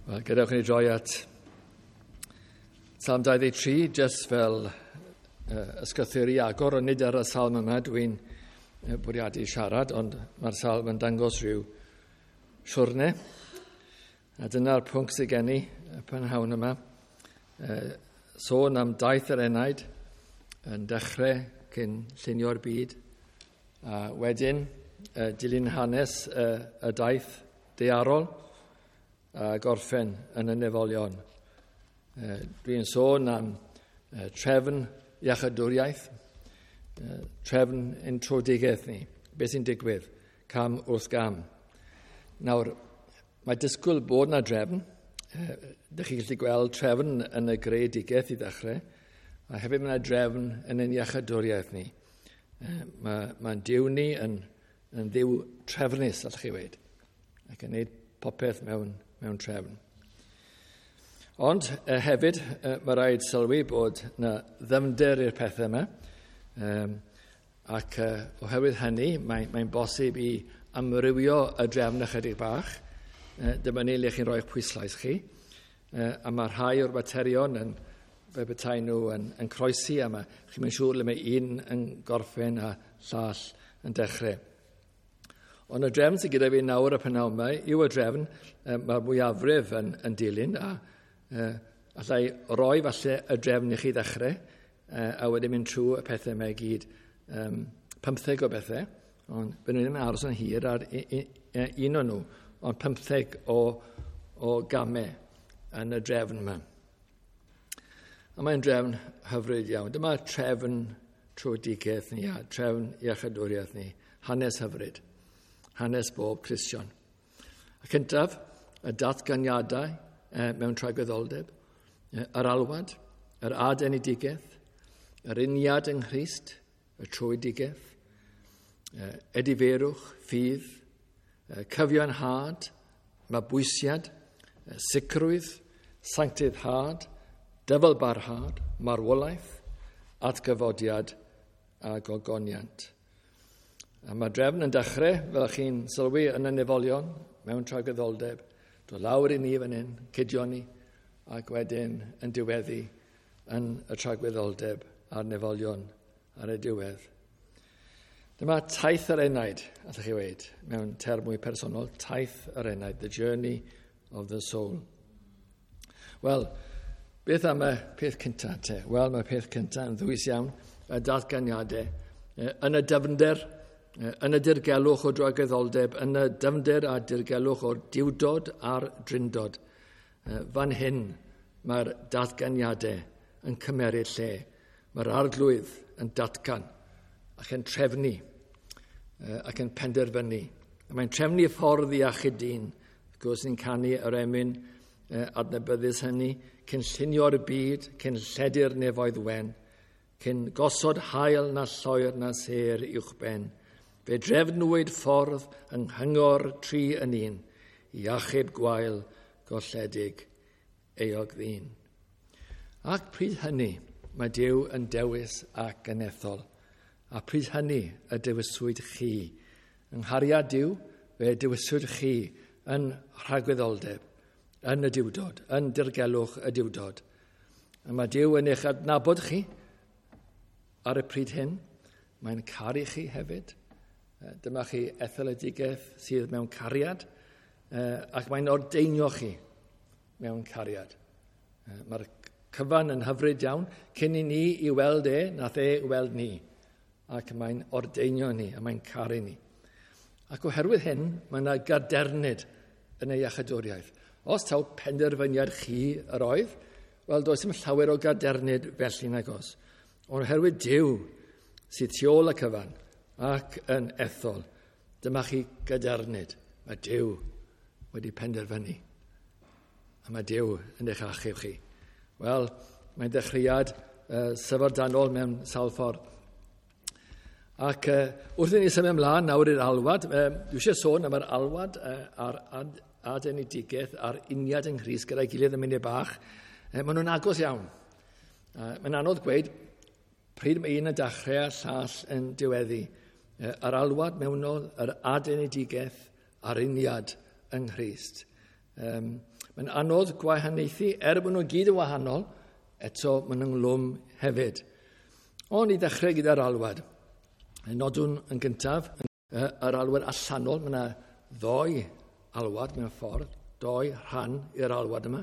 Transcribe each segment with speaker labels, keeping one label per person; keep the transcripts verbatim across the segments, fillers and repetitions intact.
Speaker 1: Wel, gadewch i ni droi at Salm dau ddeg tri, jyst fel uh, ysgrythur i agor, ond nid ar y salm yma dwi'n bwriadu siarad, ond mae'r salm yn dangos rhyw siwrne. A dyna'r pwnc sydd gen i y prynhawn yma. Uh, sôn am daith yr enaid yn dechrau cyn llunio'r byd, a wedyn uh, dilyn hanes uh, y daith daearol, a gorffen yn y nefolion. Dwi'n sôn am trefn iachadwriaeth, trefn introdigaeth ni, beth sy'n digwydd, cam wrth gam. Nawr, mae disgwyl bod na drefn. Dych chi'n gallu gweld trefn yn y greadigaeth i ddechrau, a hefyd mae yna drefn yn ein iachadwriaeth ni. Mae, mae'n Duw ni yn, yn ddiw trefnus, allwch chi weud, ac yn gwneud popeth mewn mewn trefn. Ond eh, hefyd, eh, mae rhaid sylwi bod na ddyfnder i'r pethau yma, um, ac eh, oherwydd hynny, mae'n mae bosib i amrywio y drefn ychydig bach. Eh, dyma ni le chi'n rhoi'ch pwyslais chi, eh, a mae rhai o'r materion yn, fe petai nhw yn, yn croesi, a mae, chi'n mynd siŵr le mae un yn gorffen a llall yn dechrau. Ond y drefn sydd gyda fi nawr y prynhawn yma yw y drefn mae'r mwyafrif yn, yn dilyn, a uh, allai roi falle y drefn i chi ddechrau, uh, a wedyn mynd trwy y pethau yma i gyd, um, pymtheg o bethau, ond bydden nhw ddim yn aros yn hir ar un o'n nhw, ond pymtheg o, o gamau yn y drefn yma. A mae'n drefn hyfryd iawn. Dyma trefn trwodigaeth ni, a trefn iachadwriaeth ni, hanes hyfryd. Hanes bob Cristion. Y cyntaf, y datganiadau eh, mewn tragwyddoldeb, yr alwad, yr adenedigaeth, yr uniad yng Nghrist, y trwydigaeth, eh, ediferwch, ffydd, eh, cyfiawnhad, mabwysiad, eh, sicrwydd, sancteiddhad, dyfalbarhad, marwolaeth, atgyfodiad a gogoniant. A mae drefn yn dechrau, fel chi'n sylwi, yn y nefolion, mewn tragwyddoldeb, dod lawr i ni fan hyn, cydio ni, ac wedyn yn diweddu yn y tragwyddoldeb a'r nefolion ar y diwedd. Dyma taith yr enaid, allwch chi weud, mewn term mwy personol, taith yr enaid, the journey of the soul. Wel, beth am y peth cyntaf te? Wel, mae'r peth cyntaf yn ddwys iawn, y datganiadau, yn y dyfnder, yn y dirgelwch o dragwyddoldeb, yn y dyfnder a dirgelwch o'r diwdod a'r drindod. Fan hyn mae'r datganiadau yn cymeryd lle. Mae'r arglwydd yn datgan ac yn trefnu ac yn penderfynu. Mae'n trefnu ffordd i achub dyn. Wrth gwrs ni'n canu yr emyn adnabyddus hynny, cyn llunio'r byd, cyn lledu'r nefoedd wen, cyn gosod haul na lloer na sêr uwchben. Fe drefnwyd ffordd yng nghyngor tri yn un, i achub gwael golledig euog ddyn. Ac pryd hynny mae Duw yn dewis ac yn ethol, a pryd hynny y dewiswyd chi. Yng nghariad Duw, fe dewiswyd chi yn rhagwyddoldeb, yn y diwdod, yn dirgelwch y diwdod. A mae Duw yn eich adnabod chi ar y pryd hyn. Mae'n caru chi hefyd. Dyma chi etholedigaeth sydd mewn cariad, ac mae'n ordeinio chi mewn cariad. Mae'r cyfan yn hyfryd iawn, cyn i ni i weld e, nath e weld ni. Ac mae'n ordeinio ni, a mae'n caru ni. Ac oherwydd hyn, mae yna gadernid yn ei iachadwriaeth. Os taw penderfyniad chi yr oedd, wel, does dim llawer o gadernid felly nag oes. Ond oherwydd Duw sydd tu ôl y cyfan ac yn ethol, dyma chi gadernid. Mae Duw wedi penderfynu. A mae Duw yn eich achub chi. Wel, mae'n ddechreuad uh, syfrdanol mewn sawl ffordd. Ac uh, wrth i ni symud ymlaen nawr i'r alwad, uh, dwi eisiau sôn am yr alwad uh, a'r ad adenedigaeth a'r uniad yng Nghrist gyda'i gilydd yn munud bach. Uh, maen nhw'n agos iawn. Uh, mae'n anodd gweud pryd mae un yn dechrau a llall yn diweddu. Uh, yr alwad mewnol, yr adenedigaeth a'r uniad yng Nghrist. Um, Mae'n anodd gwahaniaethu, er bod nhw gyd yn wahanol, eto maen nhw'n glwm hefyd. Ond i ddechrau gyda'r alwad. Nodwn yn gyntaf, yr alwad allanol, mae yna ddoi alwad mewn ffordd, doi rhan i'r alwad yma.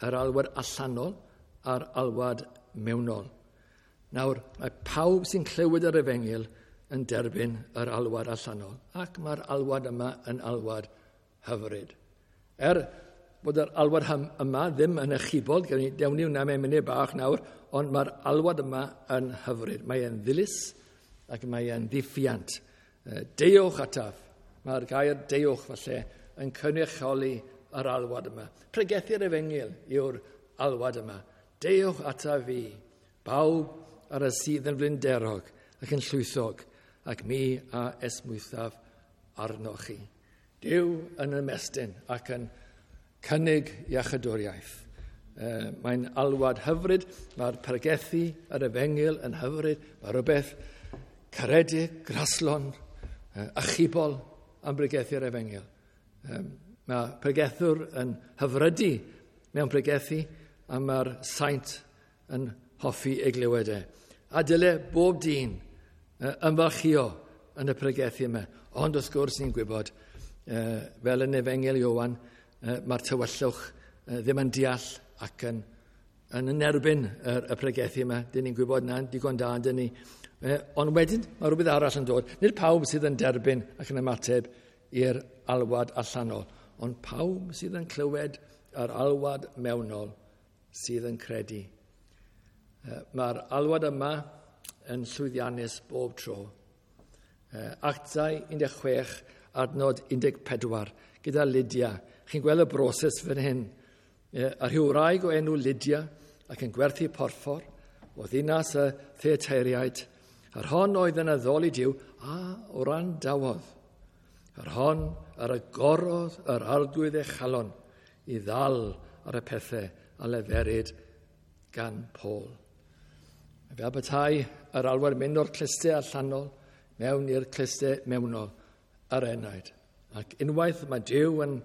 Speaker 1: Yr alwad allanol a'r alwad mewnol. Nawr, mae pawb sy'n clywed yr efengyl yn derbyn yr alwad allanol, ac mae'r alwad yma yn alwad hyfryd. Er bod yr alwad yma ddim yn achubol, dewn ni hwnna mewn munud bach nawr, ond mae'r alwad yma yn hyfryd. Mae e'n ddilys ac mae e'n ddiffiant. Deuwch ataf. Mae'r gair deuwch falle yn cynrychioli yr alwad yma. Pregethu'r efengyl yw'r alwad yma. Deuwch ataf fi, bawb ar y sydd yn flinderog ac yn llwythog, ac mi a esmwythaf arnoch chi. Duw yn ymestyn ac yn cynnig iachydwriaeth. Mae'n alwad hyfryd, mae'r pregethu yr efengyl yn hyfryd, mae rhywbeth caredig, graslon, achubol am bregethu'r efengyl. Mae pregethwr yn hyfrydu mewn pregethu a mae'r saint yn hoffi ei glywed e. A dyle bob dyn ymfalchïo yn y pregethu yma. Ond wrth gwrs ni'n gwybod, fel yn Efengyl Ioan, mae'r tywyllwch ddim yn deall ac yn, yn erbyn y, y pregethu yma. Dyn ni'n gwybod na, digon da, dyn ni. Ond wedyn mae rhywbeth arall yn dod. Nid pawb sydd yn derbyn ac yn ymateb i'r alwad allanol, ond pawb sydd yn clywed yr alwad mewnol sydd yn credu. Mae'r alwad yma yn llwyddiannus bob tro. Actau un deg chwech, adnod un deg pedwar, gyda Lydia. Chi'n gweld y broses fan hyn. A rhyw wraig o enw Lydia ac yn gwerthu porffor o ddinas y Theateiriaid. Yr hon oedd yn addoli Duw a wrandawodd. Yr hon yr agorodd yr Arglwydd ei chalon i ddal ar y pethau a leferid gan Paul. Fel petai yr alwad mynd o'r clustau allanol mewn i'r clustau mewnol yr enaid. Ac unwaith mae Duw yn,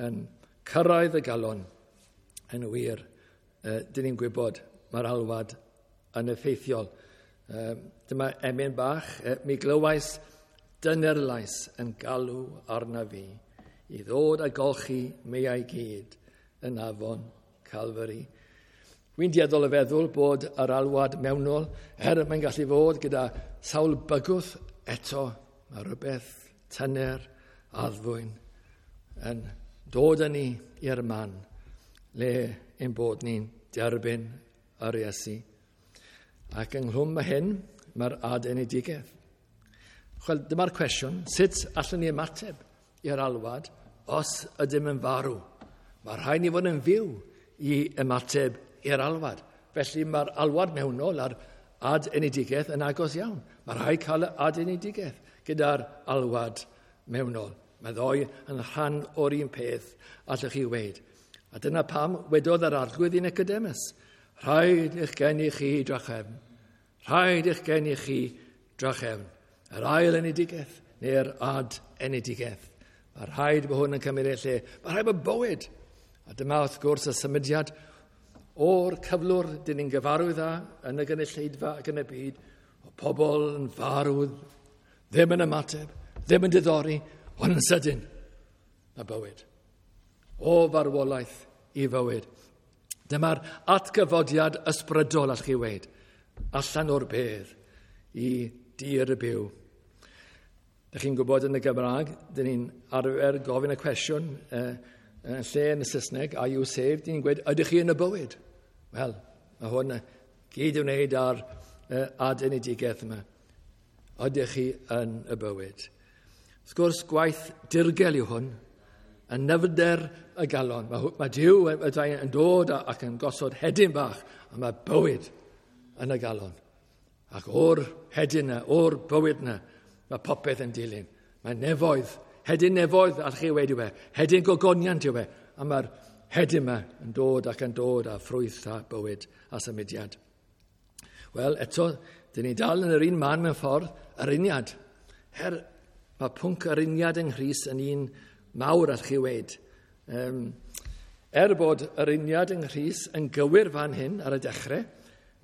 Speaker 1: yn cyrraedd y galon, yn wir, uh, dyn ni'n gwybod mae'r alwad yn effeithiol. Uh, dyma emyn bach, uh, mi glywais dynerlais yn galw arna fi i ddod a golchi meiau gyd yn afon Calvary. Wy'n dueddol o feddwl bod yr alwad mewnol, er mae'n gallu fod gyda sawl bygwth, eto mae rhywbeth tyner addfwyn yn dod â ni i'r man le ein bod ni'n derbyn yr Iesu. Ac ynghlwm â hyn, mae'r adenedigaeth. Wel, dyma'r cwestiwn, sut allwn ni ymateb i'r alwad os ydym yn farw? Mae rhaid ni fod yn fyw i ymateb i'r alwad. Felly mae'r alwad mewnol a'r adenedigaeth yn agos iawn. Mae rhaid cael y adenedigaeth gyda'r alwad mewnol. Mae ddoi yn rhan o'r un peth, allwch chi weud. A dyna pam wedodd yr Arglwydd i Nicodemus, rhaid eich geni chi drachefn. Rhaid eich geni chi drachefn. Yr ail enedigaeth neu'r ad-enedigaeth. Mae rhaid bod hwn yn cymryd ei lle. Mae rhaid bod bywyd. A dyma wrth gwrs y symudiad o'r cyflwr dyn ni'n gyfarwydd â yn y gynulleidfa ac yn y byd, o pobl yn farw, ddim yn ymateb, ddim yn diddori, ond yn sydyn, mae bywyd. O farwolaeth i fywyd. Dyma'r atgyfodiad ysbrydol, allwch chi weud, allan o'r bedd i dir y byw. Dych chi'n gwybod yn y Gymraeg, dyn ni'n arfer gofyn y cwestiwn uh, yn lle yn y Saesneg, are you saved? Dyn ni'n gweud, ydych chi yn y bywyd? Wel, mae hwn gyd i'w wneud ar uh, adenedigaeth yma. Ydych chi yn y bywyd? Wrth gwrs, gwaith dirgel yw hwn, yn nyfnder y galon. Mae, mae Duw yn dod ac yn gosod hedyn bach, a mae bywyd yn y galon. Ac o'r hedyn yna, o'r bywyd yna, mae popeth yn dilyn. Mae nefoedd, hedyn nefoedd, allwch chi weud yw e, hedyn gogoniant yw e, a mae'r hedyn yma yn dod ac yn dod â ffrwyth a bywyd a symudiad. Wel, eto, dyn ni dal yn yr un man mewn ffordd, yr uniad. Her, mae pwnc yr uniad yng Nghrist yn un mawr, allwch chi weud. Um, Er bod yr uniad yng Nghrist yn gywir fan hyn ar y dechrau,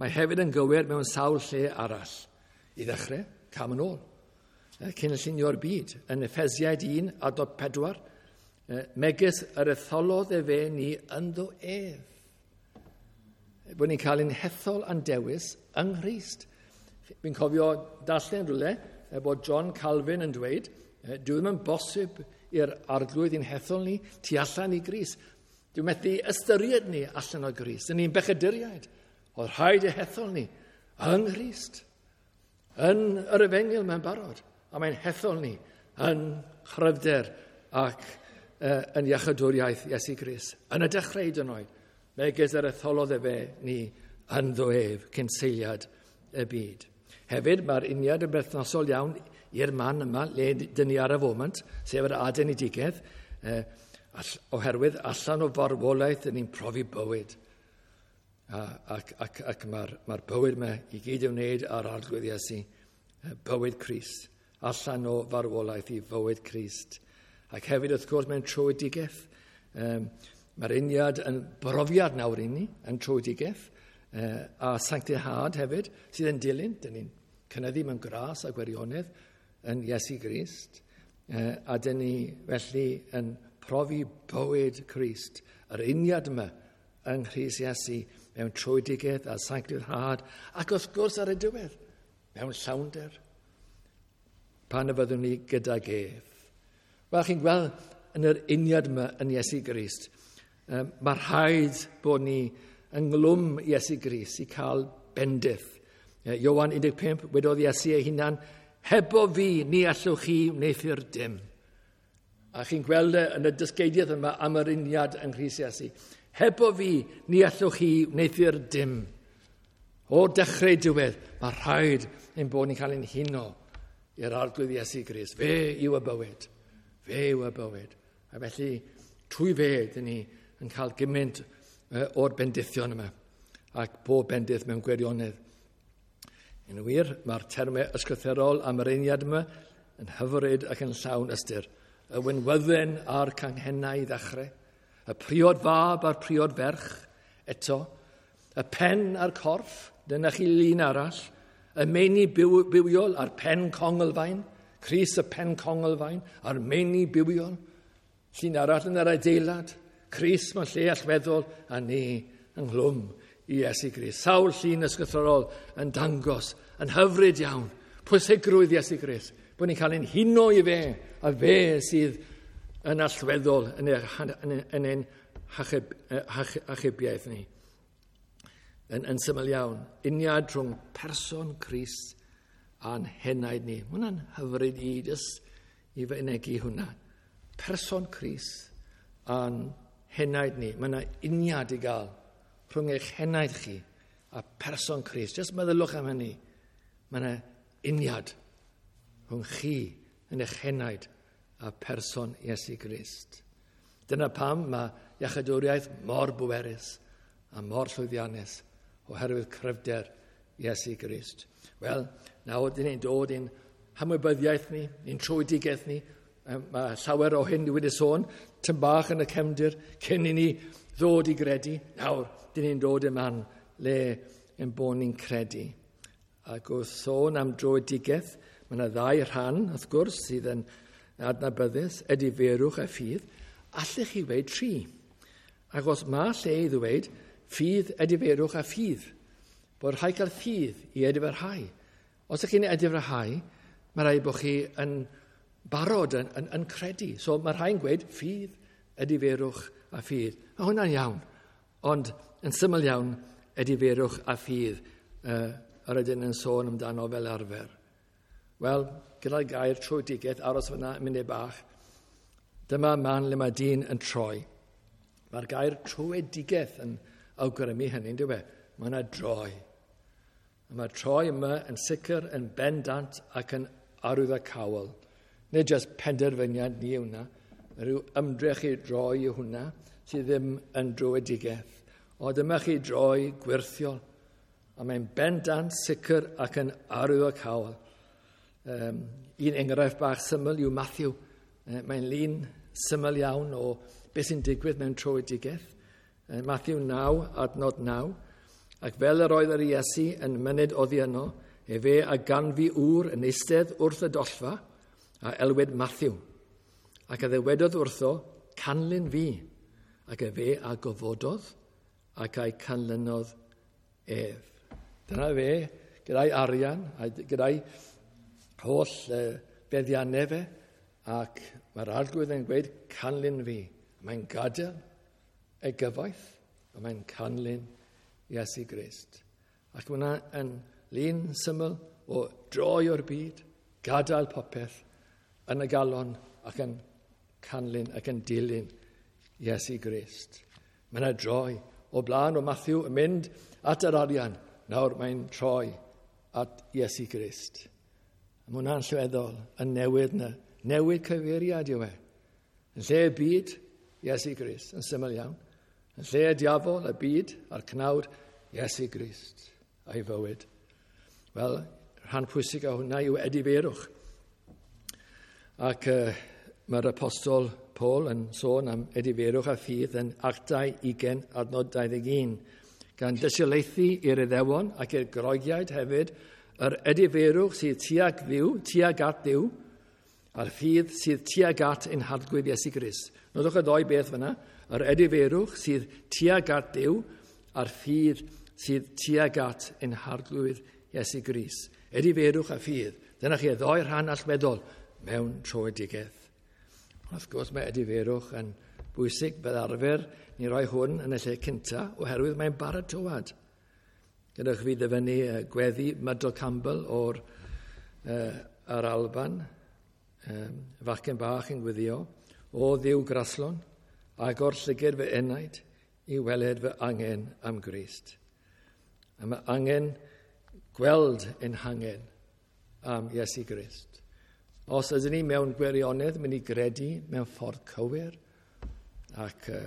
Speaker 1: mae hefyd yn gywir mewn sawl lle arall. I ddechrau, cam yn ôl. Cyn llunio'r byd, yn Effesiaid un adnod pedwar, megis yr etholodd efe ni ynddo ef. Bod ni'n cael ein hethol a'n dewis yng Nghrist. Fi'n cofio darllen rhywle bod John Calvin yn dweud, dyw ddim yn bosib i'r Arglwydd i'n hethol ni tu allan i Grist. Dwi'n methu ystyried ni allan o Grist. Yn ni'n bechaduriaid. Oedd rhaid ei hethol ni yng Nghrist. Yn yr efengyl mae'n barod. A mae'n hethol ni yn chryfder ac uh, yn iachadwriaeth Iesu Grist. Yn y dechrau hyd yn oed, megis yr etholodd efe ni ynddo ef cyn seiliad y byd. Hefyd, mae'r uniad yn berthnasol iawn i'r man yma, le dyn ni ar y foment, sef yr adenedigaeth, eh, oherwydd allan o farwolaeth dyn ni'n profi bywyd. A, ac ac, ac mae'r mae bywyd yma i gyd i'w wneud ar Arglwydd Iesu, bywyd Crist, allan o farwolaeth i fywyd Crist. Ac hefyd, wrth gwrs, mewn tröedigaeth. Um, mae'r uniad yn brofiad nawr i ni, yn tröedigaeth, uh, a sanctihad hefyd, sydd yn dilyn. Dyn ni'n cynyddu mewn gras a gwirionedd yn Iesu Grist. Uh, a dyn ni felly yn profi bywyd Crist, yr uniad yma yng Nghrist Iesu mewn tröedigaeth a sanctihad, ac wrth gwrs ar y diwedd, mewn llawnder, pan y fyddwn ni gydag ef. Wel, chi'n gweld yn yr uniad yma yn Iesu Grist, um, mae rhaid bod ni ynghlwm Iesu Grist i cael bendith. Ioan un deg pump, wedodd Iesu ei hunan, hebo fi, ni allwch chi wneuthur dim. A chi'n gweld yn y dysgeidiaeth yma am yr uniad yng Nghrist Iesu. Hebo fi, ni allwch chi wneuthur dim. O'r dechrau diwedd, mae rhaid ein bod ni'n cael ein huno i'r Arglwydd Iesu Grist. Fe yw y bywyd. Fe yw y bywyd. A felly, trwy fe, dyn ni yn cael gymaint o'r bendithion yma. Ac bob bendith mewn gwirionedd. Yn wir, mae'r termau ysgrythurol am yr uniad yma yn hyfryd ac yn llawn ystyr. Y winwydden a'r canghennau i ddechrau, y priod fab a'r priod ferch eto, y pen a'r corff, dyna chi lun arall, y meini byw, bywiol a'r pen conglfaen, Crist y pen conglfaen a'r meini bywiol, llun arall yn yr adeilad, Crist mewn lle allweddol a ni ynghlwm i Iesu Grist. Sawl llun ysgrythurol yn dangos, yn hyfryd iawn, pwysigrwydd Iesu Grist, bod ni'n cael ein huno i fe, a fe sydd yn allweddol yn, yn, yn ein hachub, achubiaeth ni. Yn, yn syml iawn, uniad rhwng person Crist a'n henaid ni. Mae hwnna'n hyfryd i jyst i fynegi hwnna. Person Crist a'n henaid ni. Mae yna uniad i gael rhwng eich henaid chi a person Crist. Jyst meddylwch am hynny. Mae yna uniad rhwng chi yn eich henaid a person Iesu Grist. Dyna pam mae iachadwriaeth mor bwerus a mor llwyddiannus oherwydd cryfder Iesu Grist. Wel, nawr dyn ni'n dod i'n hymwybyddiaeth ni, i'n tröedigaeth ni. Mae llawer o hyn wedi sôn, tyn bach yn y cefndir, cyn i ni ddod i gredu. Nawr, dyn ni'n dod i'r man le yn bod ni'n credu. Ac wrth sôn am dröedigaeth, mae yna ddau rhan, wrth gwrs, sydd yn adnabyddus, edifeirwch a ffydd. Allech chi ddweud tri? Ac os mae lle i ddweud ffydd, edifeirwch a ffydd, bod rhaid cael ffydd i edifarhau. Os ydych chi'n edifarhau, mae rhaid bod chi yn barod yn, yn, yn credu. So mae rhai'n gweud ffydd, edifeirwch a ffydd. Mae hwnna'n iawn, ond yn syml iawn, edifeirwch a ffydd uh, yr ydyn yn sôn amdano fel arfer. Wel, gyda'r gair tröedigaeth, aros fyna yn munud bach, dyma man le mae dyn yn troi. Mae'r gair tröedigaeth yn awgrymu hynny, dyw e? Mae yna droi. A mae'r troi yma yn sicr, yn bendant ac yn arwyddocaol. Nid jyst penderfyniad ni yw hwnna, rhyw ymdrech i droi yw hwnna sydd ddim yn dröedigaeth. Ond dyma chi droi gwirthiol. A mae'n bendant, sicr ac yn arwyddocaol. Um, un enghraifft bach syml yw Matthew. Mae'n lun syml iawn o beth sy'n digwydd mewn tröedigaeth. Matthew naw, adnod naw. Ac fel yr oedd yr Iesu yn myned oddi yno, efe a ganfu ŵr yn eistedd wrth y dollfa, a elwid Matthew. Ac a ddywedodd wrtho, canlyn fi. Ac efe a gofododd, ac a'i canlynodd ef. Dyna fe, gyda'i arian, gyda'i holl feddiannau fe, ac mae'r Arglwydd yn gweud, canlyn fi. Mae'n gadael ei gyfoeth, a mae'n canlyn Iesu Grist. Ac mae hwnna yn lun syml o droi o'r byd, gadael popeth yn y galon ac yn canlyn ac yn dilyn Iesu Grist. Mae yna droi o blaen o Matthew yn mynd at yr arian. Nawr mae'n troi at Iesu Grist. Mae hwnna'n allweddol, yn newid yna. Newid cyfeiriad yw e. Yn lle y byd, Iesu Grist, yn syml iawn. Yn lle y diafol, y byd a'r cnawd, Iesu Grist a'i fywyd. Wel, rhan pwysig o hwnna yw edifeirwch. Ac uh, mae'r apostol Paul yn sôn am edifeirwch a ffydd yn Actau ugain adnod dau ddeg un. Gan dystiolaethu i'r Iddewon ac i'r Groegiaid hefyd, yr edifeirwch sydd tuag Dduw, tuag at Dduw, a'r ffydd sydd tuag at ein Harglwydd Iesu Grist. Nodwch y ddou beth fyna, yr edifeirwch sydd tuag at Dduw, a'r ffydd sydd tuag at ein Harglwydd Iesu Grist. Edifeirwch a ffydd. Dyna chi y ddou rhan allweddol mewn tröedigaeth. Wrth gwrs mae edifeirwch yn bwysig fel arfer. Ni roi hwn yn y lle cynta oherwydd mae'n baratoad. Gadewch fi ddyfynnu gweddi Myrtle Campbell o'r uh, yr Alban, um, fachgen bach yn gweddio, o Dduw graslon, agor llygad fy enaid i weled fy angen am Grist. A mae angen gweld ein hangen am Iesu Grist. Os ydyn ni mewn gwirionedd mynd i gredu mewn ffordd cywir ac uh,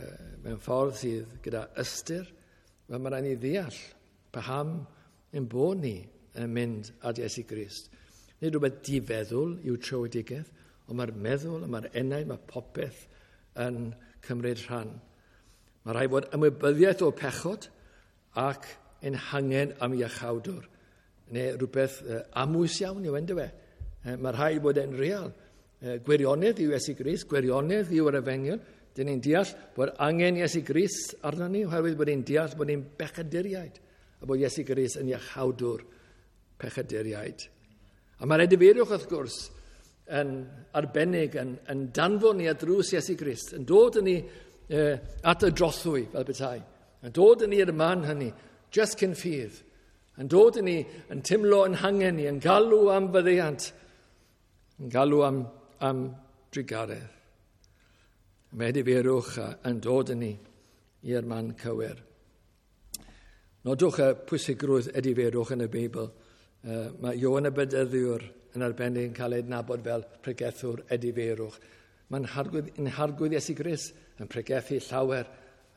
Speaker 1: mewn ffordd sydd gyda ystyr, wel mae rhaid ni ddeall paham ein bod ni yn mynd at Iesu Grist. Nid rhywbeth difeddwl yw tröedigaeth, ond mae'r meddwl, mae'r enaid, mae popeth yn cymryd rhan. Mae rhaid bod ymwybyddiaeth o pechod ac ein hangen am iachawdwr, neu rhywbeth uh, amwys iawn yw yndyw e. Mae rhaid bod e'n real. Gwirionedd yw Iesu Grist, gwirionedd yw'r efengyl. Dyn ni'n deall bod angen Iesu Grist arno ni, oherwydd bod ni'n deall bod ni'n bechaduriaid, a bod Iesu Grist yn iachawdwr pechaduriaid. A mae'r edifeirwch, wrth gwrs, yn arbennig, yn, yn danfon ni at drws Iesu Grist, yn dod yn ni eh, at y drothwy, fel petai, yn dod yn ni i'r man hynny, just cyn ffydd, yn dod yn ni, yn timlo yn hangen ni, yn galw am faddeuant, yn galw am, am drugaredd. Mae edifeirwch yn dod yn ni i'r man cywir. Nodwch y pwysigrwydd edifeirwch yn y Beibl. Uh, mae Ioan y Bedyddiwr yn arbennig yn cael ei adnabod fel pregethwr edifeirwch. Mae'n harglwydd, yn harglwydd Iesu Grist yn pregethu llawer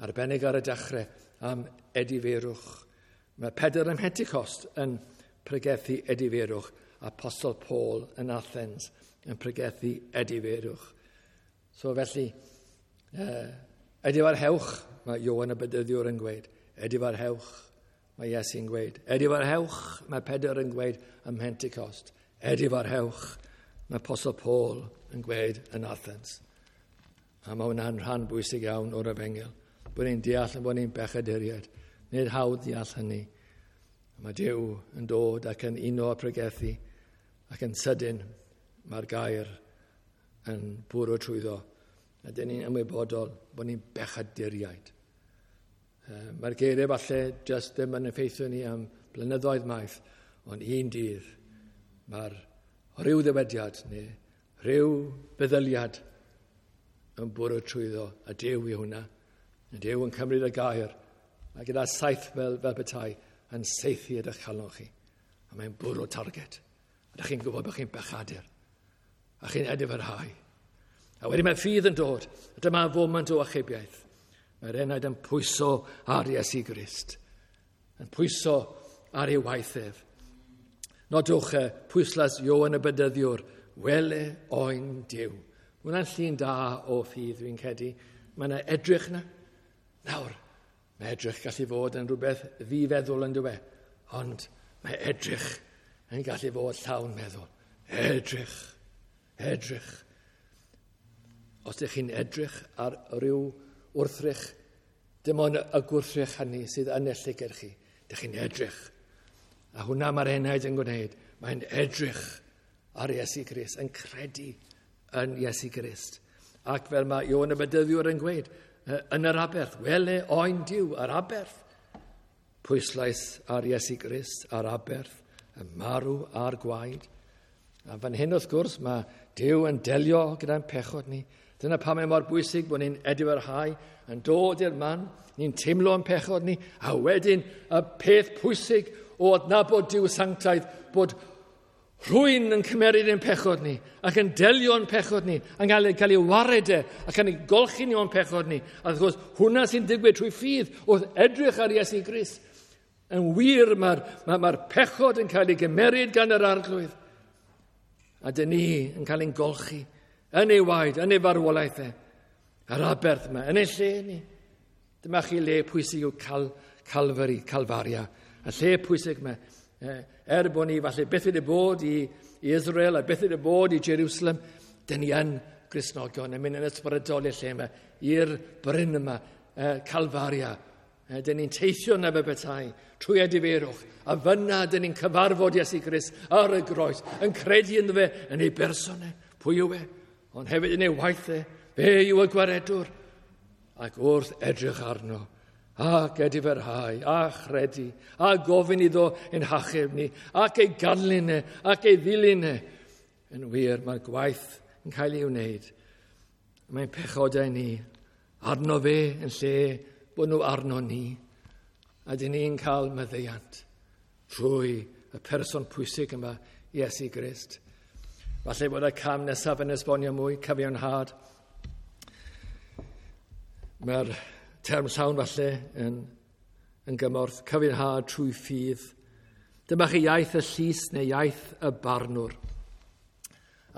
Speaker 1: arbennig ar y dechrau am edifeirwch. Mae Pedr ym Mhentecost yn pregethu edifeirwch. Apostol Paul yn Athens yn pregethu edifeirwch. So felly, uh, edifarhewch, mae Ioan y Bedyddiwr yn gweud. Edifarhewch, mae Iesu'n gweud. Edifarhewch, mae Pedr yn gweud ym Mhentecost. Edifarhewch, mae Apostol Paul yn gweud yn Athens. A mae hwnna'n rhan bwysig iawn o'r efengyl. Bod ni'n deall yn bod ni'n bechaduriaid. Nid hawdd deall hynny. Mae Duw yn dod ac yn uno a pregethu, ac yn sydyn mae'r gair yn bwrw trwyddo. A dyn ni'n ymwybodol bod ni'n bechaduriaid. Mae'r geiriau falle just ddim yn effeithio ni am blynyddoedd maith, ond un dydd mae'r rhyw ddywediad neu rhyw feddyliad yn bwrw trwyddo, a Duw i hwnna. A Duw yn cymryd y gair, a gyda saith fel, fel petai yn saethu ydych calon chi. A mae'n bwrw target. A ydych chi'n gwybod bod chi'n bechadur. A chi'n edifarhau. A wedyn mae ffydd yn dod. A dyma foment o achubiaeth. Mae'r enaid yn pwyso ar Iesu Grist. Yn pwyso ar ei waith ef. Nodwch pwyslais Ioan y Bedyddiwr. Wele oen Duw. Mae hwnna'n llun da o ffydd, dwi'n credu. Mae yna edrych yna. Nawr, Mae edrych gallu fod yn rhywbeth ddifeddwl yn dywe, ond mae edrych yn gallu fod llawn meddwl. Edrych, edrych. Os ydych chi'n edrych ar ryw wrthrych, dim ond y gwrthrych hynny sydd yn y llygad chi. Dych chi'n edrych. A hwnna mae'r enaid yn gwneud. Mae'n edrych ar Iesu Grist, yn credu yn Iesu Grist. Ac fel mae Ioan y Bedyddiwr yn gweud, yn yr aberth, wele oen Duw yr aberth. Pwyslais ar Iesu Grist, ar aberth, y marw a'r gwaed. A fan hyn wrth gwrs mae Duw yn delio gyda'n pechod ni. Dyna pam mae mor bwysig bod ni'n edifarhau, yn dod i'r man, ni'n teimlo yn pechod ni, a wedyn y peth pwysig o adnabod Duw sanctaidd, bod rhywun yn cymeryd ein pechod ni, ac yn delio yn pechod ni, yn cael, cael ei wared e, ac yn ei golchi ni o'n pechod ni. A wrth gwrs, hwnna sy'n digwydd trwy ffydd wrth edrych ar Iesu Grist. Yn wir, mae'r mae, mae pechod yn cael ei gymeryd gan yr Arglwydd. A dyn ni yn cael ein golchi yn ei waed, yn ei farwolaeth e. Yr aberth yma, yn ei lle ni. Dyma chi le pwysig yw Cal, Calvary, Calfaria. Y lle pwysig yma, er bod ni falle beth wedi bod i, i Israel a beth wedi bod i Jerusalem, dyn ni yn Gristnogion yn mynd yn ysbrydol i'r lle yma, i'r bryn yma, Calfaria. Dyn ni'n teithio yna fe bethau trwy edifeirwch, a fyna dyn ni'n cyfarfod Iesu Grist ar y groes, yn credu ynddo fe yn ei berson e, pwy yw e, ond hefyd yn ei waith e, fe yw y gwaredwr. Ac wrth edrych arno, ac edifarhau, a chredu, a gofyn iddo ein hachub ni, ac ei ganlyn e, ac ei ddilyn e. Yn wir, mae'r gwaith yn cael ei wneud. Mae'n pechodau ni arno fe yn lle bod nhw arno ni. A dyn ni'n cael maddeuant trwy y person pwysig yma, Iesu Grist. Falle bod y cam nesaf yn esbonio mwy, cyfiawnhad. Mae'r term llawn falle yn, yn gymorth, cyfiawnhad trwy ffydd. Dyma chi iaith y llys neu iaith y barnwr.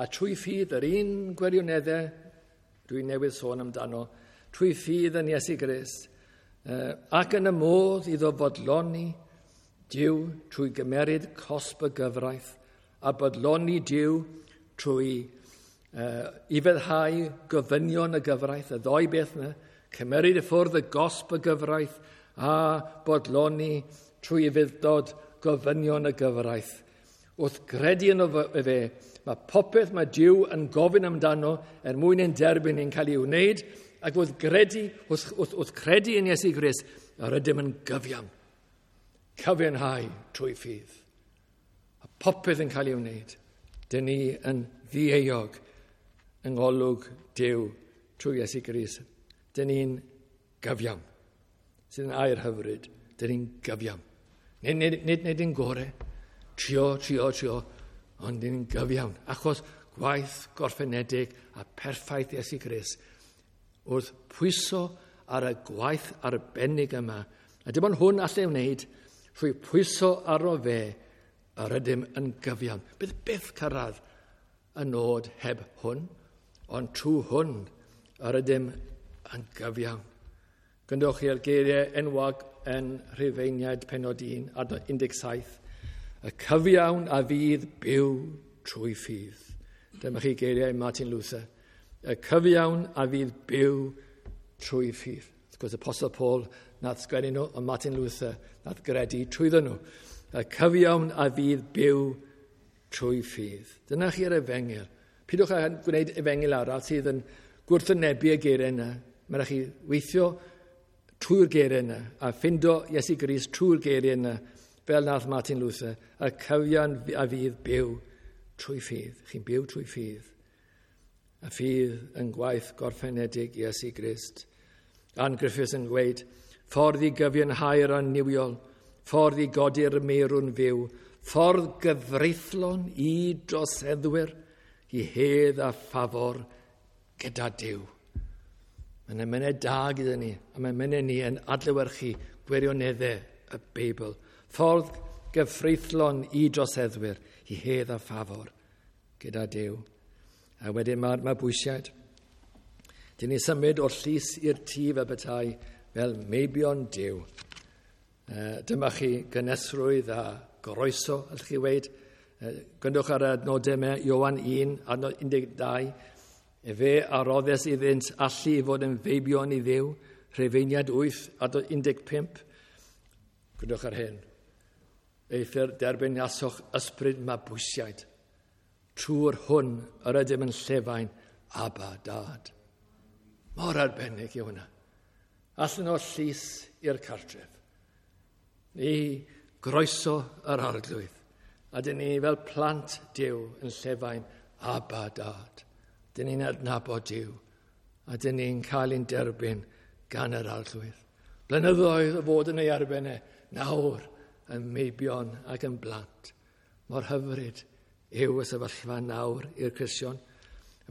Speaker 1: A trwy ffydd, yr un gwirioneddau dwi'n newydd sôn amdano, trwy ffydd yn Iesu Grist, ac yn y modd iddo fodloni Duw trwy gymeryd cosb y gyfraith, a bodloni Duw trwy uh, ufuddhau gofynion y gyfraith, y ddoi beth yna, cymeryd y ffwrdd y gosb y gyfraith a bodloni trwy ufudd-dod gofynion y gyfraith. Wrth gredu yno fe, mae popeth mae Duw yn gofyn amdano er mwyn ein derbyn ni'n cael ei wneud, ac wrth gredu, wrth, wrth, wrth credu yn Iesu Grist, yr ydym yn gyfiawn. Cyfiawnhau trwy ffydd. A popeth yn cael ei wneud. Dyn ni yn ddieuog yng ngolwg Duw trwy Iesu Grist. Dyn ni'n gyfiawn. Sydd yn air hyfryd. Dyn ni'n gyfiawn. Nid, nid, nid, nid yn gore. Trio, trio, trio. Ond dyn ni'n gyfiawn. Achos gwaith gorffenedig a perffaith Iesu Grist wrth pwyso ar y gwaith arbennig yma. A dim ond hwn allai wneud trwy pwyso arno fe, yr ydym yn gyfiawn. Bydd byth cyrraedd y nod heb hwn, ond trwy hwn yr ydym yn gyfiawn. Gwrandewch chi ar geiriau enwog yn Rhufeiniaid pennod un, adnod un deg saith. Y cyfiawn a fydd byw trwy ffydd. Dyma chi geiriau Martin Luther. Y cyfiawn a fydd byw trwy ffydd. Wrth gwrs, Apostle Paul nath sgwennu nhw, ond Martin Luther nath gredu trwyddo nhw. Y cyfiawn a fydd byw trwy ffydd. Dyna chi'r efengyl. Pidwch â gwneud efengyl arall sydd yn gwrthwynebu y geiriau yna. Mae rhaid chi weithio trwy'r geiriau yna a ffindo Iesu Grist trwy'r geiriau yna, fel nath Martin Luther. Y cyfiawn a fydd byw trwy ffydd. Chi'n byw trwy ffydd. A ffydd yn gwaith gorffenedig Iesu Grist. Ann Griffiths yn gweud, ffordd i gyfiawnhau'r annuwiol, ffordd i godi'r meirw'n fyw, ffordd gyfreithlon i droseddwyr, i hedd a ffafor gyda Duw. Mae'n emynau da gyda ni, a mae'n emynau ni yn adlewyrchu gwirioneddau y Beibl. Ffordd gyfreithlon i droseddwyr, i hedd a ffafor gyda Duw. A wedyn mae'r mabwysiad. Dyn ni symud o'r llys i'r tŷ fel petai fel meibion Duw. Dyma chi gynhesrwydd a groeso, allwch chi weud. Gwrandwch ar y adnodau yma, Ioan un, adnod un deg dau. Efe a roddes iddynt allu i fod yn feibion i Dduw, Rhufeiniaid wyth, adnod un deg pump. Gwrandwch ar hyn. Eithr derbyniasoch ysbryd mabwysiaid. Trwy'r hwn yr ydym yn llefain, Abba, Dad. Mor arbennig yw hwnna. Allan o'r llys i'r cartref. Ni groeso yr Arglwydd. A dyn ni fel plant Duw yn llefain, Abba, Dad. Dyn ni'n adnabod Duw. A dyn ni'n cael ein derbyn gan yr Arglwydd. Blynyddoedd o fod yn ei erbyn e, nawr yn meibion ac yn blant. Mor hyfryd yw y sefyllfa nawr i'r Cristion.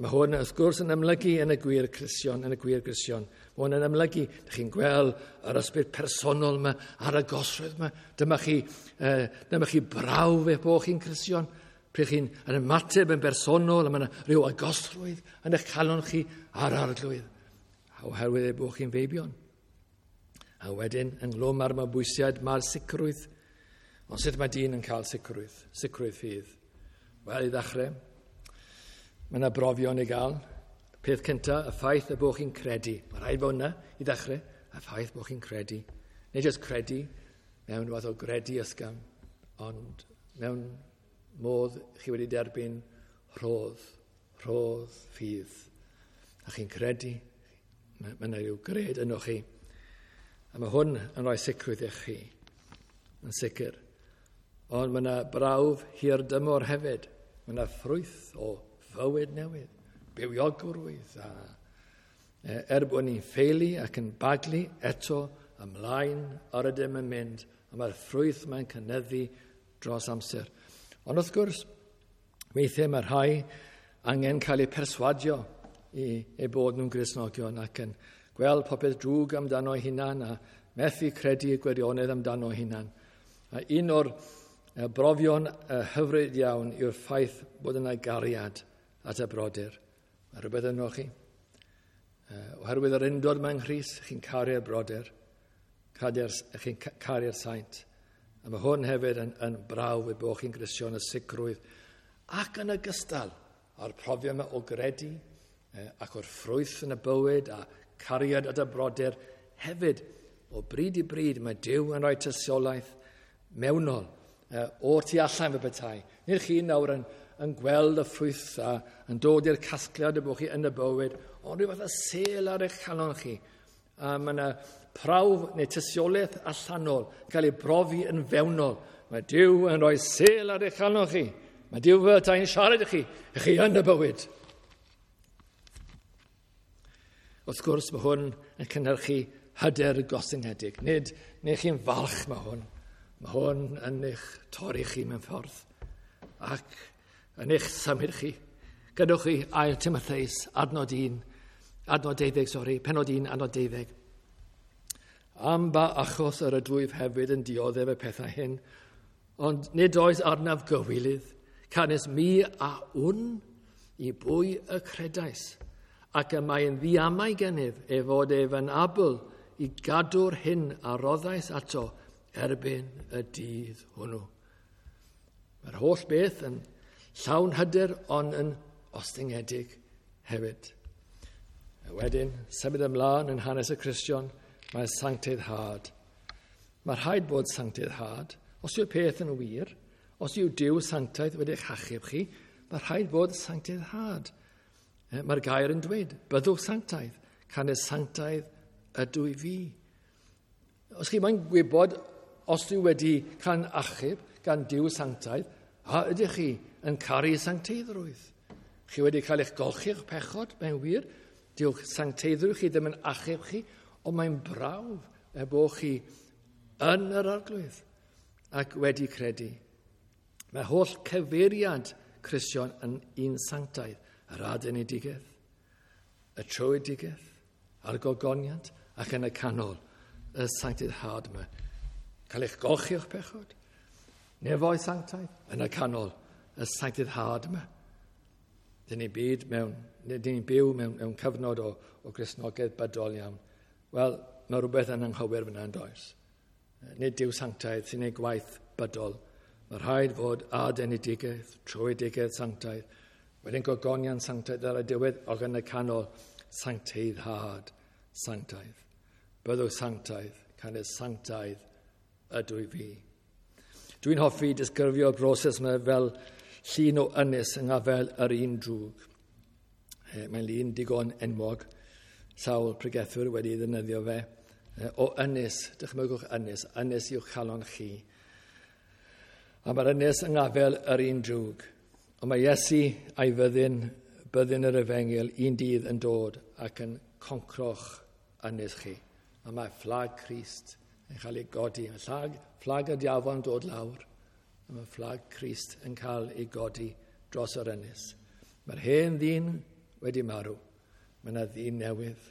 Speaker 1: Mae hwn wrth gwrs yn amlygu yn y gwir Cristion, yn y gwir Gristion. Mae hwn yn amlygu, ydych chi'n gweld yr ysbryd personol yma a'r agosrwydd yma. Dyma chi, eh, dyma chi brawf eich bod chi'n Cristion. Pryd chi'n yn ymateb yn bersonol, a mae yna rhyw agosrwydd yn eich calon chi a'r Arglwydd. Oherwydd eich bod chi'n feibion. A wedyn, ynghlwm â'r mabwysiad, mae'r sicrwydd. Ond sut mae dyn yn cael sicrwydd? Sicrwydd ffydd. Wel, i ddechrau, mae yna brofion i gael. Peth cyntaf, y ffaith y bod chi'n credu. Mae rhaid bod yna i ddechrau, y ffaith bod chi'n credu. Nid jyst credu mewn fath o gredu ysgafn, ond mewn modd chi wedi derbyn rhodd, rhodd ffydd. A chi'n credu, mae yna rhyw gred yno chi. A mae hwn yn rhoi sicrwydd i chi, yn sicr. Ond mae yna brawf hir dymor hefyd. Mae yna ffrwyth o fywyd newydd, bywiogrwydd. A er bod ni'n ffeili ac yn baglu, eto ymlaen yr ydym yn mynd, a mae'r ffrwyth mae'n cynyddu dros amser. Ond wrth gwrs, weithiau mae rhai angen cael eu perswadio i eu bod nhw'n Gristnogion ac yn gweld popeth drwg amdano eu hunan a methu credu y gwirionedd amdano eu hunan. A un o'r brofion hyfryd iawn yw'r ffaith bod yna gariad at y brodyr. Mae rhywbeth yno chi. Oherwydd yr undod mewn Nghrist, chi'n caru'r brodyr, chi'n caru'r saint. A mae hwn hefyd yn, yn brawf i bod chi'n Gristion y sicrwydd. Ac yn ogystal â'r profiad yma o gredu ac o'r ffrwyth yn y bywyd a cariad at y brodyr, hefyd o bryd i bryd mae Duw yn rhoi tystiolaeth mewnol o'r tu allan fe petai. Nid chi nawr yn, yn gweld y ffrwyth a yn dod i'r casgliad y bod chi yn y bywyd, ond rhyw fath o sêl ar eich calon chi. A mae yna prawf neu tystiolaeth allanol cael ei brofi yn fewnol. Mae Duw yn rhoi sêl ar eich calon chi. Mae Duw fel tai'n siarad i chi, i chi yn y bywyd. Wrth gwrs, mae hwn yn cynhyrchu hyder gostyngedig. Nid, nid chi'n falch mae hwn. Mae hwn yn eich torri chi mewn ffordd ac yn eich symud chi. Gadewch chi ail Timotheus, adnod un, adnod deuddeg, sori, penod un, adnod deuddeg. Am ba achos yr ydwyf hefyd yn dioddef y pethau hyn, ond nid oes arnaf gywilydd, canys mi a wn i bwy y credais, ac y mae yn ddiamau gennyf ei fod ef yn abl i gadw'r hyn a roddais ato erbyn y dydd hwnnw. Mae'r holl beth yn llawn hyder ond yn ostyngedig hefyd. A wedyn, symud ymlaen yn hanes y Cristion, mae sancteiddhad. Mae rhaid bod sancteiddhad. Os yw'r peth yn wir, os yw Duw sanctaidd wedi eich achub chi, mae rhaid bod sancteiddhad. Mae'r gair yn dweud, byddwch sanctaidd, canys sanctaidd ydw i fi. Os chi moyn gwybod os dwi wedi cael achub gan Duw sanctaidd, a ydych chi yn caru sancteiddrwydd? Chi wedi cael eich golchi o'ch pechod, mae'n wir. Dyw'ch sancteiddrwydd chi ddim yn achub chi, ond mae'n brawf er bod chi yn yr Arglwydd ac wedi credu. Mae holl cyfeiriad Cristion yn un sanctaidd, yr adenedigaeth, y tröedigaeth, a'r gogoniant, ac yn y canol, y sancteiddhad yma. Cael eich golchi o'ch pechod, nefoedd sanctaidd, yn y canol, y sancteiddhad yma. Dyn ni'n byd mewn, dyn ni'n byw mewn, mewn cyfnod o, o Gristnogaeth bydol iawn. Wel, mae rhywbeth yn anghywir fyna yn does. Nid Duw sanctaidd sy'n ei gwaith bydol. Mae rhaid fod adenedigaeth, tröedigaeth sanctaidd, wedyn gogoniant sanctaidd ar y diwedd, ac yn y canol sancteiddhad sanctaidd. Byddwch sanctaidd, canys sanctaidd ydw i fi. Dwi'n hoffi disgrifio'r broses yma fel llun o ynys yng ngafel yr un drwg. Mae'n lun digon enwog, sawl pregethwyr wedi ddefnyddio fe. O ynys, dychmygwch ynys, ynys i'w chalon chi. A mae'r ynys yng ngafel yr un drwg. Ond mae Iesu a'i fyddin, byddin yr efengyl, un dydd yn dod ac yn concro'ch ynys chi. A mae fflag Crist yn cael ei godi. Mae fflag, fflag y diafol yn dod lawr. A mae fflag Crist yn cael ei godi dros yr ynys. Mae'r hen ddyn wedi marw. Mae yna ddyn newydd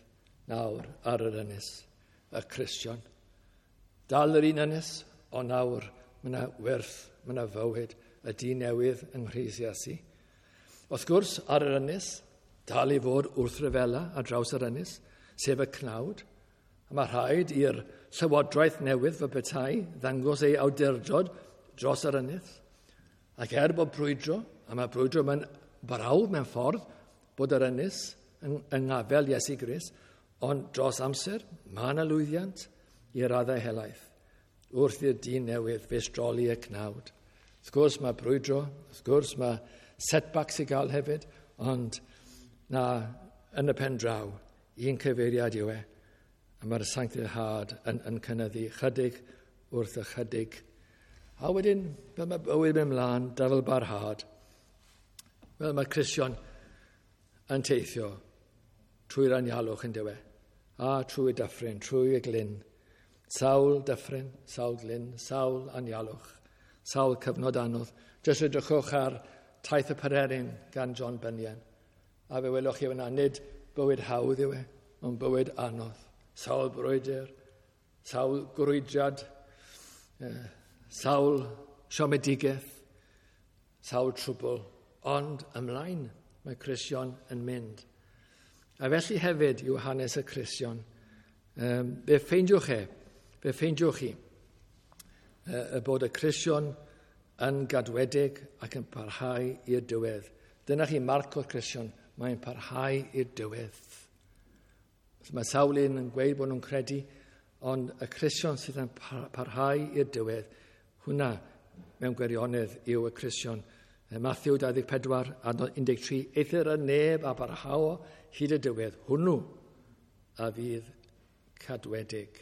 Speaker 1: nawr ar yr ynys, y Cristion. Dal yr un ynys, ond nawr mae yna werth, mae yna fywyd, y dyn newydd yng Nghrist Iesu. Wrth gwrs, ar yr ynys, dal i fod wrthryfela ar draws yr ynys, sef y cnawd. A mae rhaid i'r llywodraeth newydd fy petai ddangos ei awdurdod dros yr ynys. Ac er bod brwydro, a mae brwydro mewn brawf mewn ffordd, bod yr ynys yng, yng ngafel Iesu Grist, ond dros amser, mae yna lwyddiant i raddau helaeth wrth i'r dyn newydd feistroli y cnawd. Wrth gwrs mae brwydro, wrth gwrs mae setbacks i gael hefyd, ond na, yn y pen draw, un cyfeiriad yw e, a mae'r sancteiddhad yn, yn cynyddu chydig wrth ychydig. A wedyn, fel mae bywyd mynd mlaen, dyfal barhad, fel mae Cristion yn teithio trwy'r anialwch yn dywe, a trwy dyffryn, trwy y glyn. Sawl dyffryn, sawl glyn, sawl anialwch, sawl cyfnod anodd. Jyst edrychwch ar Taith y Pererin gan John Bunyan. A fe welwch chi fyna, nid bywyd hawdd yw e, ond bywyd anodd. Sawl brwydr, sawl grwydriad, sawl siomedigaeth, sawl trwbl, ond ymlaen mae Cristion yn mynd. A felly hefyd yw hanes y Cristion. Um, fe ffeindiwch e, fe ffeindiwch chi, y bod y Cristion yn gadwedig ac yn parhau i'r diwedd. Dyna chi marc o'r Cristion, mae'n parhau i'r diwedd. Mae sawl un yn gweud bod nhw'n credu, ond y Cristion sydd yn parhau i'r diwedd, hwnna mewn gwirionedd yw y Cristion. Matthew dau ddeg pedwar, adnod un deg tri, eithr y neb a barhao hyd y diwedd, hwnnw a fydd cadwedig.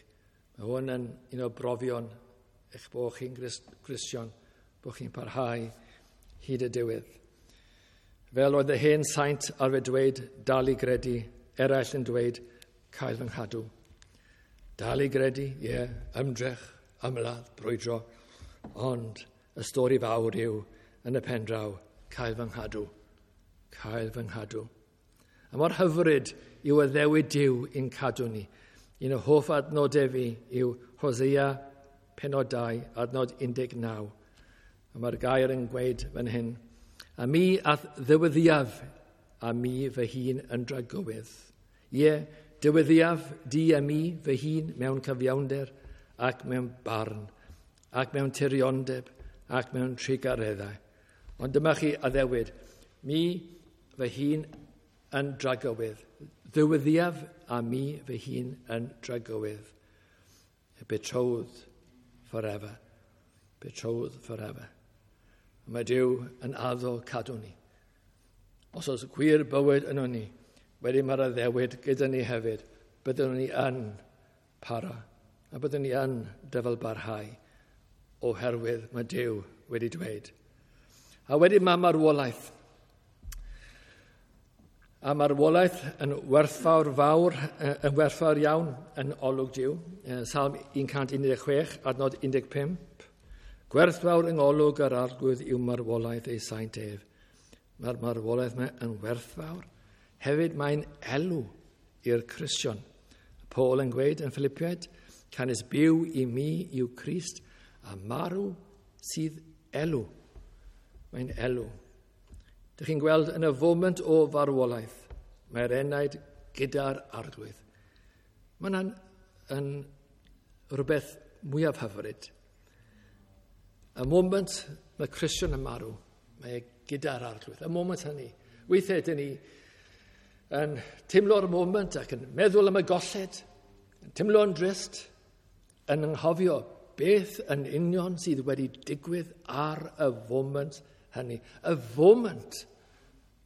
Speaker 1: Mae hwn yn un o brofion eich bod chi'n Gristion, bod chi'n parhau hyd y diwedd. Fel oedd y hen saint arfer dweud, dal i gredu, eraill yn dweud, cael fy nghadw. Dal i gredu, ie, yeah, ymdrech, ymladd, brwydro, ond y stori fawr yw, yn y pen draw, cael fy nghadw, cael fy nghadw. A mor hyfryd yw addewid Duw i'n cadw ni. Un o hoff adnodau fi yw Hosea penod dau, adnod un deg naw. A mae'r gair yn gweud fan hyn, a mi ath ddyweddiaf a mi fy hun yn dragywydd. Ie, dyweddiaf di a mi fy hun mewn cyfiawnder ac mewn barn, ac mewn tiriondeb ac mewn trugareddau. Ond dyma chi addewid, mi fy hun yn dragywydd. Ddyweddiaf a mi fy hun yn dragywydd. Betrothed forever. Betrothed forever. Mae Duw yn addo cadw ni. Os oes gwir bywyd yno ni, wedyn mae'r addewid gyda ni hefyd, byddwn ni yn para, a byddwn ni yn dyfalbarhau, oherwydd mae Duw wedi dweud. A wedyn mae marwolaeth. A marwolaeth yn werthfawr fawr, yn werthfawr iawn yn olwg Duw. Salm un cant un deg chwech, adnod un deg pump. Gwerthfawr yng ngolwg yr Arglwydd yw marwolaeth ei saint ef. Mae'r marwolaeth yma yn werthfawr. Hefyd mae'n elw i'r Cristion. Paul yn gweud yn Philippiaid, canys byw i mi yw Crist a marw sydd elw. Mae'n elw. Dych chi'n gweld yn y foment o farwolaeth, mae'r enaid gyda'r Arglwydd. Mae'n yn rhywbeth mwyaf hyfryd. Y moment mae Cristion yn marw, mae e gyda'r Arglwydd. Y moment hynny. Weithiau dyn ni yn teimlo'r moment ac yn meddwl am y golled, yn teimlo'n drist, yn anghofio beth yn union sydd wedi digwydd ar y foment hynny. Y foment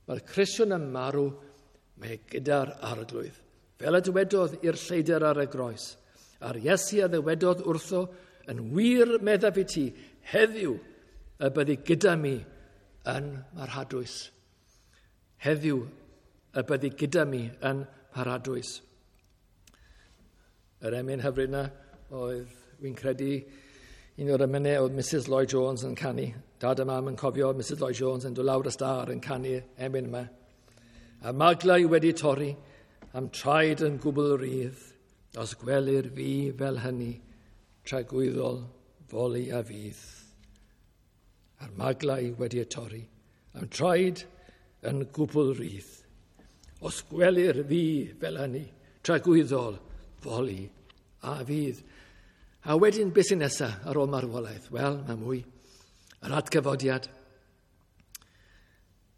Speaker 1: mae'r Cristion yn marw, mae gyda'r Arglwydd. Fel y dywedodd i'r lleidr ar y groes, a'r Iesu a ddywedodd wrtho, yn wir meddaf i ti, heddiw y byddi gyda mi yn Mharadwys. Heddiw y byddi gyda mi yn Mharadwys. Yr emyn hyfryd yna oedd, fi'n credu, un o'r emynau oedd Missus Lloyd Jones yn canu. Dad a mam yn cofio Missus Lloyd Jones yn dod lawr y star yn canu emyn yma. A maglau wedi torri, am traed yn gwbl rydd, os gwelir fi fel hynny, tragwyddol foli a fydd. A'r maglau wedi y torri, am traed yn gwbl rydd. Os gwelir fi fel hynny, tragwyddol foli a fydd. A wedyn, beth sy'n nesaf ar ôl marwolaeth? Wel, mae mwy. Yr atgyfodiad.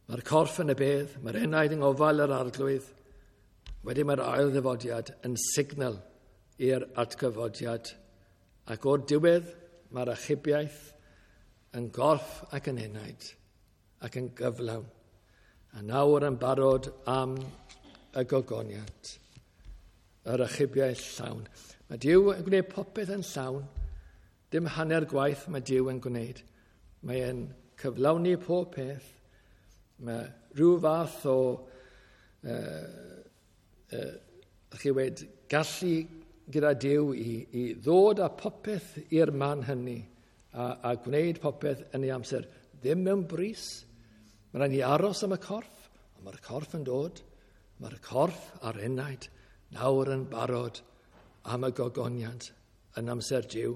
Speaker 1: Mae'r corff yn y bedd, mae'r enaid yng ngofal yr Arglwydd. Wedyn mae'r ail ddyfodiad yn signal i'r atgyfodiad. Ac o'r diwedd, mae'r achubiaeth yn gorff ac yn enaid ac yn gyflawn. A nawr yn barod am y gogoniant, yr achubiaeth llawn. Mae Duw yn gwneud popeth yn llawn. Dim hanner gwaith mae Duw yn gwneud. Mae e'n cyflawni pob peth. Mae rhyw fath o uh, uh, chi wedi gallu gyda Duw i, i ddod â popeth i'r man hynny a, a gwneud popeth yn ei amser. Ddim mewn brys. Mae rhaid ni aros am y corff, ond mae'r corff yn dod. Mae'r corff a'r enaid nawr yn barod am y gogoniant yn amser Duw.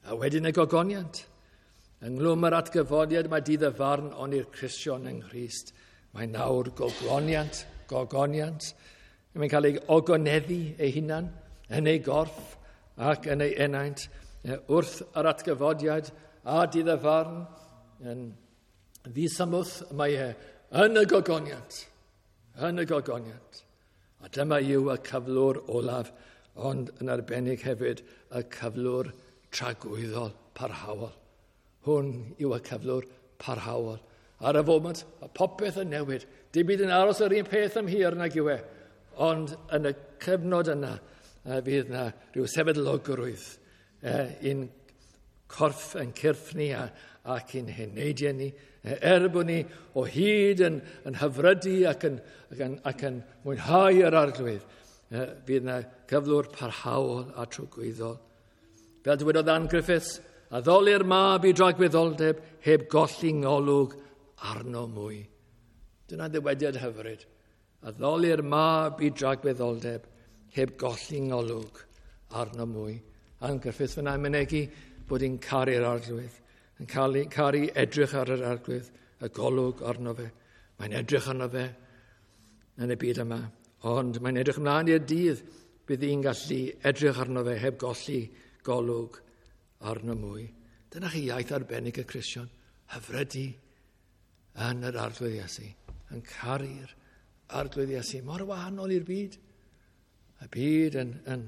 Speaker 1: A wedyn y gogoniant. Ynghlwm yr atgyfodiad mae dydd y farn ond i'r Cristion yng Nghrist. Mae nawr gogoniant, gogoniant. Mae'n cael ei ogoneddu ei hunan yn ei gorff ac yn ei enaint. Wrth yr atgyfodiad a dydd y farn yn ddisymwth mae e yn y gogoniant. Yn y gogoniant. A dyma yw y cyflwr olaf, ond yn arbennig hefyd y cyflwr tragwyddol parhaol. Hwn yw y cyflwr parhaol. Ar y foment, mae popeth yn newid. Dim byd yn aros yr un peth am hir nag yw e. Ond yn y cyfnod yna, fydd yna rhyw sefydlogrwydd i'n corff yn cyrff ni a, ac i'n heneidiau ni. Er bod ni o hyd yn, yn hyfrydu ac yn, ac yn, ac yn mwynhau yr Arglwydd, fydd yna gyflwr parhaol a tragwyddol. Fel dywedodd Ann Griffiths, addoli'r mab i dragwyddoldeb heb golli ngolwg arno mwy. Dyna ddywediad hyfryd. Addoli'r mab i dragwyddoldeb heb golli ngolwg arno mwy. Ann Griffiths fyna yn mynegi bod hi'n caru'r Arglwydd, yn caru, caru edrych ar yr Arglwydd, y golwg arno fe. Mae'n edrych arno fe yn y byd yma, ond mae'n edrych ymlaen i'r dydd bydd hi'n gallu edrych arno fe heb golli golwg arno mwy. Dyna chi iaith arbennig y Cristion, hyfrydu yn yr Arglwydd Iesu, yn caru'r Arglwydd Iesu, mor wahanol i'r byd. Y byd yn, yn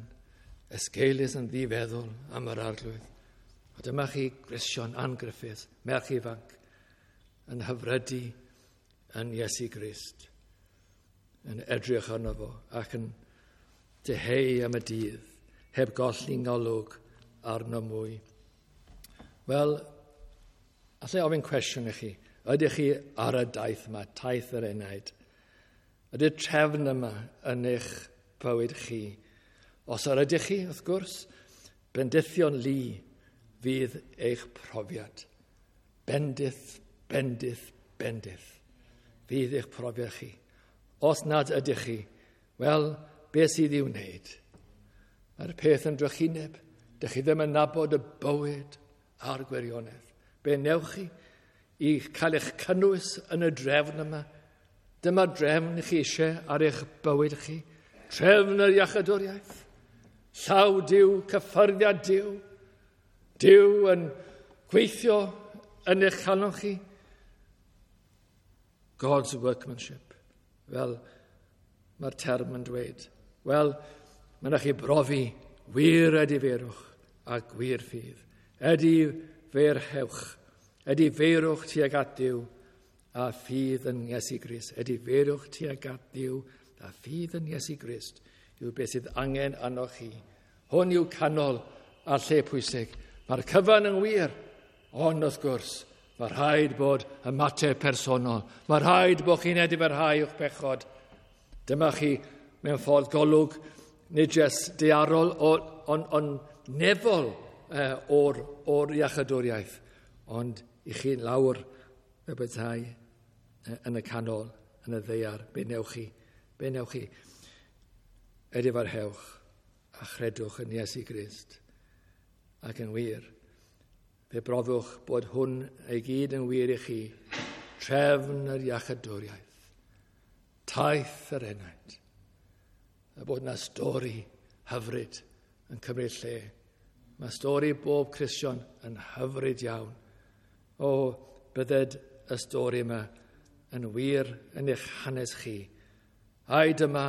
Speaker 1: esgeulus yn ddifeddwl am yr Arglwydd. A dyma chi Gristion Ann Griffiths, merch ifanc, yn hyfrydu yn Iesu Grist, yn edrych arno fo ac yn dyheu am y dydd, heb golli ngolwg arno mwy. Wel, allai ofyn cwestiwn i chi. Ydych chi ar y daith yma, taith yr enaid? Ydy'r trefn yma yn eich bywyd chi? Os yr ydych chi, wrth gwrs, bendithion lu fydd eich profiad. Bendith, bendith, bendith fydd eich profiad chi. Os nad ydych chi, wel, beth sydd i'w wneud? Mae'r peth yn drychineb. Dych chi ddim yn nabod y bywyd a'r gwirionedd. Be newch chi i cael eich cynnwys yn y drefn yma? Dyma'r drefn chi eisiau ar eich bywyd chi. Trefn yr iachadwriaeth. Llaw Duw, cyffyrddiad Duw. Duw yn gweithio yn eich calon chi. God's workmanship, fel mae'r term yn dweud. Wel, mae yna chi brofi wir edifeirwch a gwir ffydd. Edifeirhewch, edifeirwch tuag at Dduw a ffydd yn Iesu Grist. Edifeirwch tuag at Dduw a ffydd yn Iesu Grist yw beth sydd angen arnoch chi. Hwn yw canol a lle pwysig. Mae'r cyfan yn wir, ond wrth gwrs, mae rhaid bod ymateb personol. Mae rhaid bod chi'n edifarhau o'ch bechod. Dyma chi mewn ffordd golwg, nid jyst daearol, ond on nefol uh, o'r, o'r iachadwriaeth, ond i chi'n lawr y bethau yn y canol, yn y ddaear, be newch chi? Be newch chi? Edifarhewch a chredwch yn Iesu Grist. Ac yn wir, fe brofwch bod hwn ei gyd yn wir i chi, trefn yr iachadwriaeth, taith yr enaid, a bod yna stori hyfryd yn cymryd lle. Mae stori bob Cristion yn hyfryd iawn. O, bydded y stori yma yn wir yn eich hanes chi. Ai dyma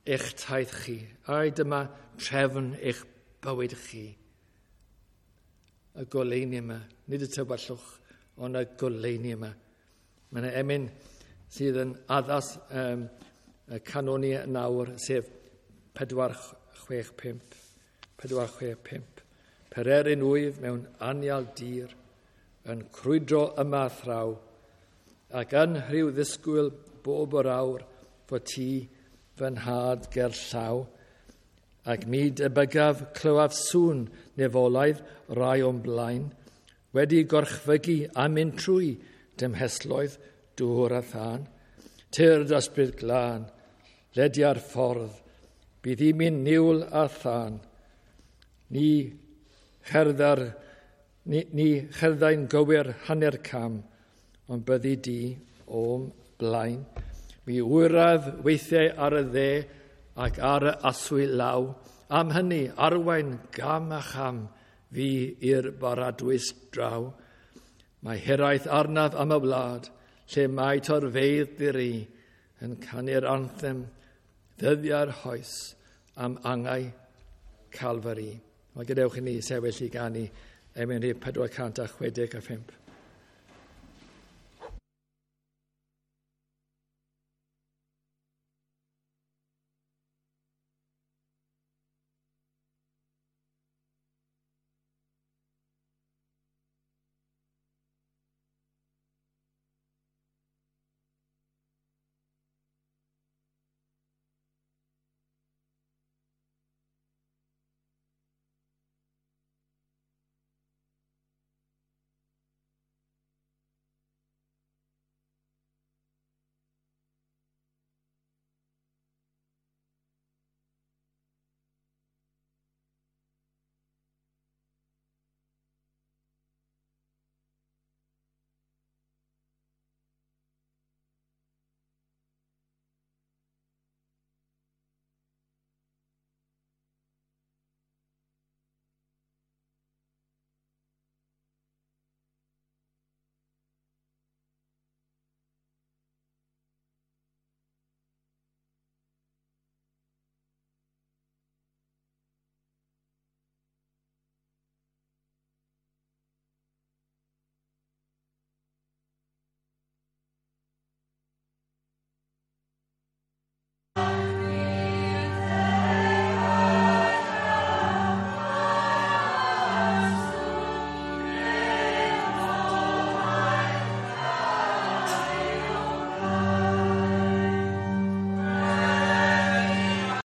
Speaker 1: eich taith chi. Ai dyma trefn eich bywyd chi. Y goleuni yma, nid y tywyllwch, ond y goleuni yma. Mae yna emyn sydd yn addas um, y canoni nawr, sef pedwar chwech pump. pedwar chwech pump. Pererin wyf mewn anial dir, yn crwydro yma thraw, ac yn rhyw ddisgwyl bob yr awr fod ti fy nhad ger llaw, ac mi debygaf clywaf sŵn nefolaidd rai o'm blaen, wedi gorchfygu a mynd trwy dymhesloedd dŵr a thân, tyrd ysbryd glân, ledia'r ffordd, bydd i mi'n niwl a thân. Ni cherddar, ni, ni cherddai'n gywir hanner cam, ond byddi di o'm blaen. Mi wyraf weithiau ar y dde ac ar y aswy law. Am hynny, arwain gam a cham fi i'r baradwys draw. Mae hiraeth arnaf am y wlad, lle mae torfeydd diri yn canu'r anthem ddyddiau'r hoes am angau Calfari. Mae gadewch i ni sefyll i ganu emyn rhif pedwar cant a chwe deg a phump.